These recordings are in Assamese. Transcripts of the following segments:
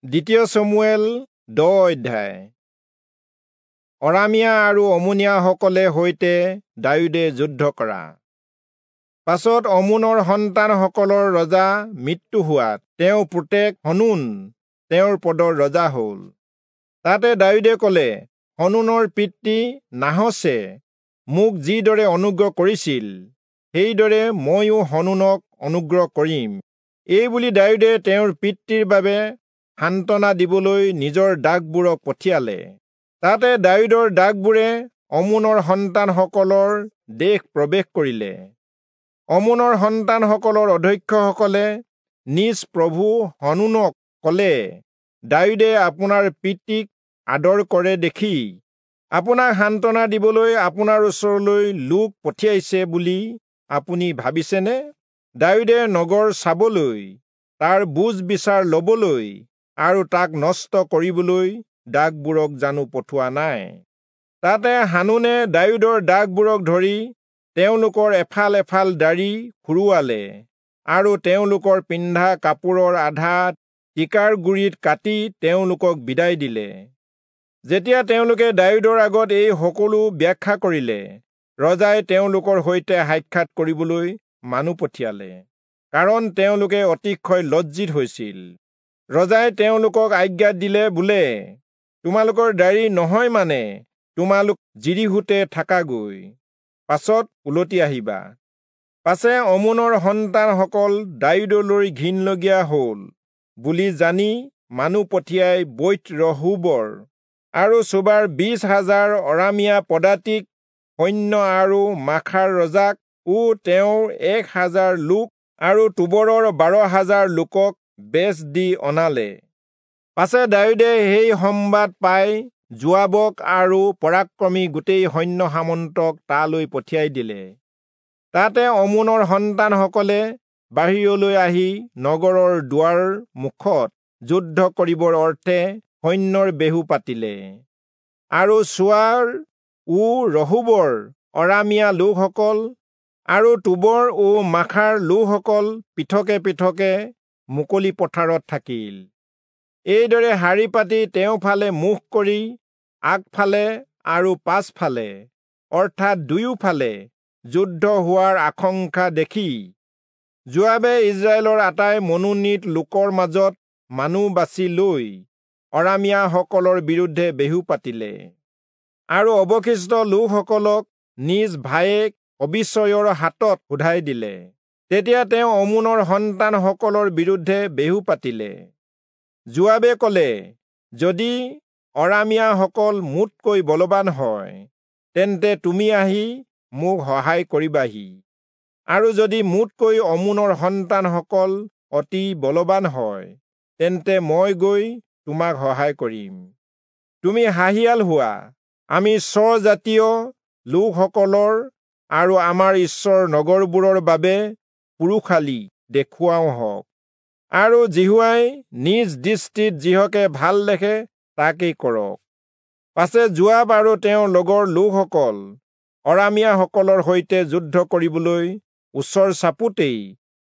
দ্বিতীয় চমূৱেল 10 অধ্যায়। অৰামীয়া আৰু অমোনীয়াসকলে সৈতে দায়ূদে যুদ্ধ কৰা। পাছত অমোনৰ সন্তানসকলৰ ৰজা মৃত্যু হোৱাত তেওঁ পুতেক হনুন তেওঁৰ পদৰ ৰজা হ'ল। তাতে দায়ূদে ক'লে, হনুনৰ পিতৃ নাহচে মোক যিদৰে অনুগ্ৰহ কৰিছিল, সেইদৰে ময়ো হনুনক অনুগ্ৰহ কৰিম। এই বুলি দায়ূদে তেওঁৰ পিতৃৰ বাবে সান্তনা দিবলৈ নিজৰ দাসবোৰক পঠিয়ালে। তাতে দায়ূদৰ দাসবোৰে অমোনৰ সন্তানসকলৰ দেশ প্ৰৱেশ কৰিলে। অমোনৰ সন্তানসকলৰ অধ্যক্ষসকলে নিজ প্ৰভু হনুনক ক'লে, দায়ূদে আপোনাৰ পিতৃক আদৰ কৰে দেখি আপোনাক সান্তনা দিবলৈ আপোনাৰ ওচৰলৈ লোক পঠিয়াইছে বুলি আপুনি ভাবিছেনে? দায়ূদে নগৰ চাবলৈ, তাৰ বুজ বিচাৰ লবলৈ আৰু তাক নষ্ট কৰিবলৈ দাসবোৰক জানো পঠোৱা নাই? তাতে হানুনে দায়ূদৰ দাসবোৰক ধৰি তেওঁলোকৰ এফাল এফাল দাড়ি খুৰুৱালে আৰু তেওঁলোকৰ পিন্ধা কাপোৰৰ আধা টিকাৰ গুৰিত কাটি তেওঁলোকক বিদায় দিলে। যেতিয়া তেওঁলোকে দায়ূদৰ আগত এই সকলো ব্যাখ্যা কৰিলে, ৰজাই তেওঁলোকৰ সৈতে সাক্ষাৎ কৰিবলৈ মানুহ পঠিয়ালে, কাৰণ তেওঁলোকে অতিশয় লজ্জিত হৈছিল। ৰজাই তেওঁলোকক আজ্ঞা দিলে বোলে, তোমালোকৰ দাড়ি নহয় মানে তোমালোক যিৰীহোতে থাকাগৈ, পাছত উলটি আহিবা। পাছে অমোনৰ সন্তানসকল দায়ূদলৈ ঘিণলগীয়া হ'ল বুলি জানি মানুহ পঠিয়াই বৈৎ ৰহোবৰ আৰু চোবাৰ 20,000 অৰামীয়া পদাতিক সৈন্য আৰু মাখাৰ ৰজাক ও তেওঁৰ 1,000 লোক আৰু টোবৰৰ 12,000 লোকক বেচ দি অনালে। পাছে দায়ূদে সেই সম্বাদ পাই যোৱাবক আৰু পৰাক্ৰমী গোটেই সৈন্য সামন্তক তালৈ পঠিয়াই দিলে। তাতে অমোনৰ সন্তানসকলে বাহিৰলৈ আহি নগৰৰ দুৱাৰ মুখত যুদ্ধ কৰিবৰ অৰ্থে সৈন্যৰ বেহু পাতিলে। আৰু চোৱাৰ ও ৰহোবৰ অৰামীয়া লোকসকল আৰু টোবৰ ও মাখাৰ লোকসকল পৃথকে পৃথকে মুকলি পথাৰত থাকিল। এইদৰে শাৰী পাতি তেওঁ ফালে মুখ কৰি আগফালে আৰু পাছফালে অৰ্থাৎ দুয়োফালে যুদ্ধ হোৱাৰ আশংকা দেখি যোৱাবে ইজৰাইলৰ আটাই মনোনীত লোকৰ মাজত মানুহ বাছি লৈ অৰামীয়াসকলৰ বিৰুদ্ধে বেহু পাতিলে আৰু অৱশিষ্ট লোকসকলক নিজ ভায়েক অবিচয়ৰ হাতত শোধাই দিলে। তেতিয়া তেওঁ অমোনৰ সন্তানসকলৰ বিৰুদ্ধে বেহু পাতিলে। যোৱাবে ক'লে, যদি অৰামীয়াসকল মোতকৈ বলৱান হয়, তেন্তে তুমি আহি মোক সহায় কৰিবাহি, আৰু যদি মোতকৈ অমোনৰ সন্তানসকল অতি বলৱান হয়, তেন্তে মই গৈ তোমাক সহায় কৰিম। তুমি সাহিয়াল হোৱা, আমি স্বজাতীয় লোকসকলৰ আৰু আমাৰ ঈশ্বৰ নগৰবোৰৰ বাবে পুৰুষালি দেখুৱাওঁ হওক, আৰু যিহোৱাই নিজ দৃষ্টিত যিহকে ভাল দেখে তাকেই কৰক। পাছে যোৱাব আৰু তেওঁৰ লগৰ লোকসকল অৰামীয়াসকলৰ সৈতে যুদ্ধ কৰিবলৈ ওচৰ চাপোতেই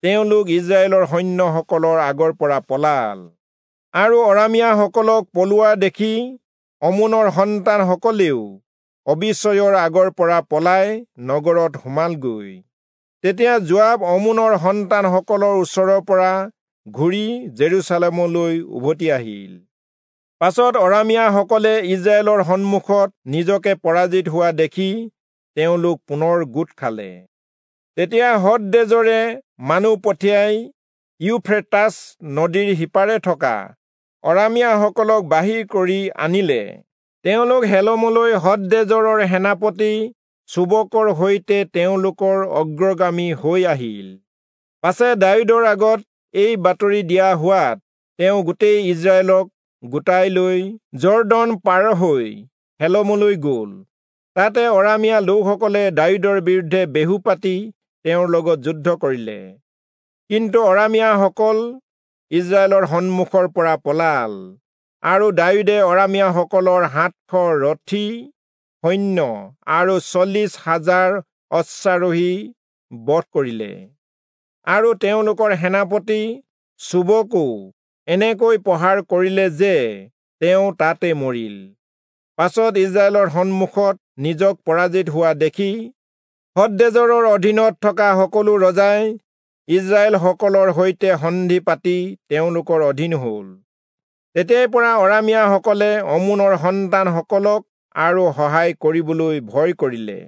তেওঁলোক ইজৰাইলৰ সৈন্যসকলৰ আগৰ পৰা পলাল। আৰু অৰামীয়াসকলক পলোৱা দেখি অমোনৰ সন্তানসকলেও অবিচয়ৰ আগৰ পৰা পলাই নগৰত সোমালগৈ। তেতিয়া যোৱাব অমোনৰ সন্তানসকলৰ ওচৰৰ পৰা ঘূৰি জেৰুচালেমলৈ উভতি আহিল। পাছত অৰামীয়াসকলে ইজৰাইলৰ সন্মুখত নিজকে পৰাজিত হোৱা দেখি তেওঁলোক পুনৰ গোট খালে। তেতিয়া হদদেজৰে মানুহ পঠিয়াই ইউফ্ৰেটাছ নদীৰ সিপাৰে থকা অৰামীয়াসকলক বাহিৰ কৰি আনিলে। তেওঁলোক হেলমলৈ হদদেজৰৰ সেনাপতি চোবকৰ সৈতে তেওঁলোকৰ অগ্ৰগামী হৈ আহিল। পাছে দায়ূদৰ আগত এই বাতৰি দিয়া হোৱাত তেওঁ গোটেই ইজৰাইলক গোটাই লৈ যৰ্দন পাৰ হৈ হেলমলৈ গ'ল। তাতে অৰামীয়া লোকসকলে দায়ূদৰ বিৰুদ্ধে বেহু পাতি তেওঁৰ লগত যুদ্ধ কৰিলে। কিন্তু অৰামীয়াসকল ইজৰাইলৰ সন্মুখৰ পৰা পলাল, আৰু দায়ূদে অৰামীয়াসকলৰ 700 ৰথী সৈন্য আৰু 40,000 অশ্বাৰোহী বধ কৰিলে, আৰু তেওঁলোকৰ সেনাপতি চোবকো এনেকৈ প্ৰহাৰ কৰিলে যে তেওঁ তাতে মৰিল। পাছত ইস্ৰায়েলৰ সন্মুখত নিজক পৰাজিত হোৱা দেখি হদদেজৰৰ অধীনত থকা সকলো ৰজাই ইস্ৰায়েলসকলৰ সৈতে সন্ধি পাতি তেওঁলোকৰ অধীন হ'ল। তেতিয়াৰ পৰা অৰামীয়াসকলে অম্মোনৰ সন্তানসকলক আৰু সহায় কৰিবলৈ ভয় কৰিলে।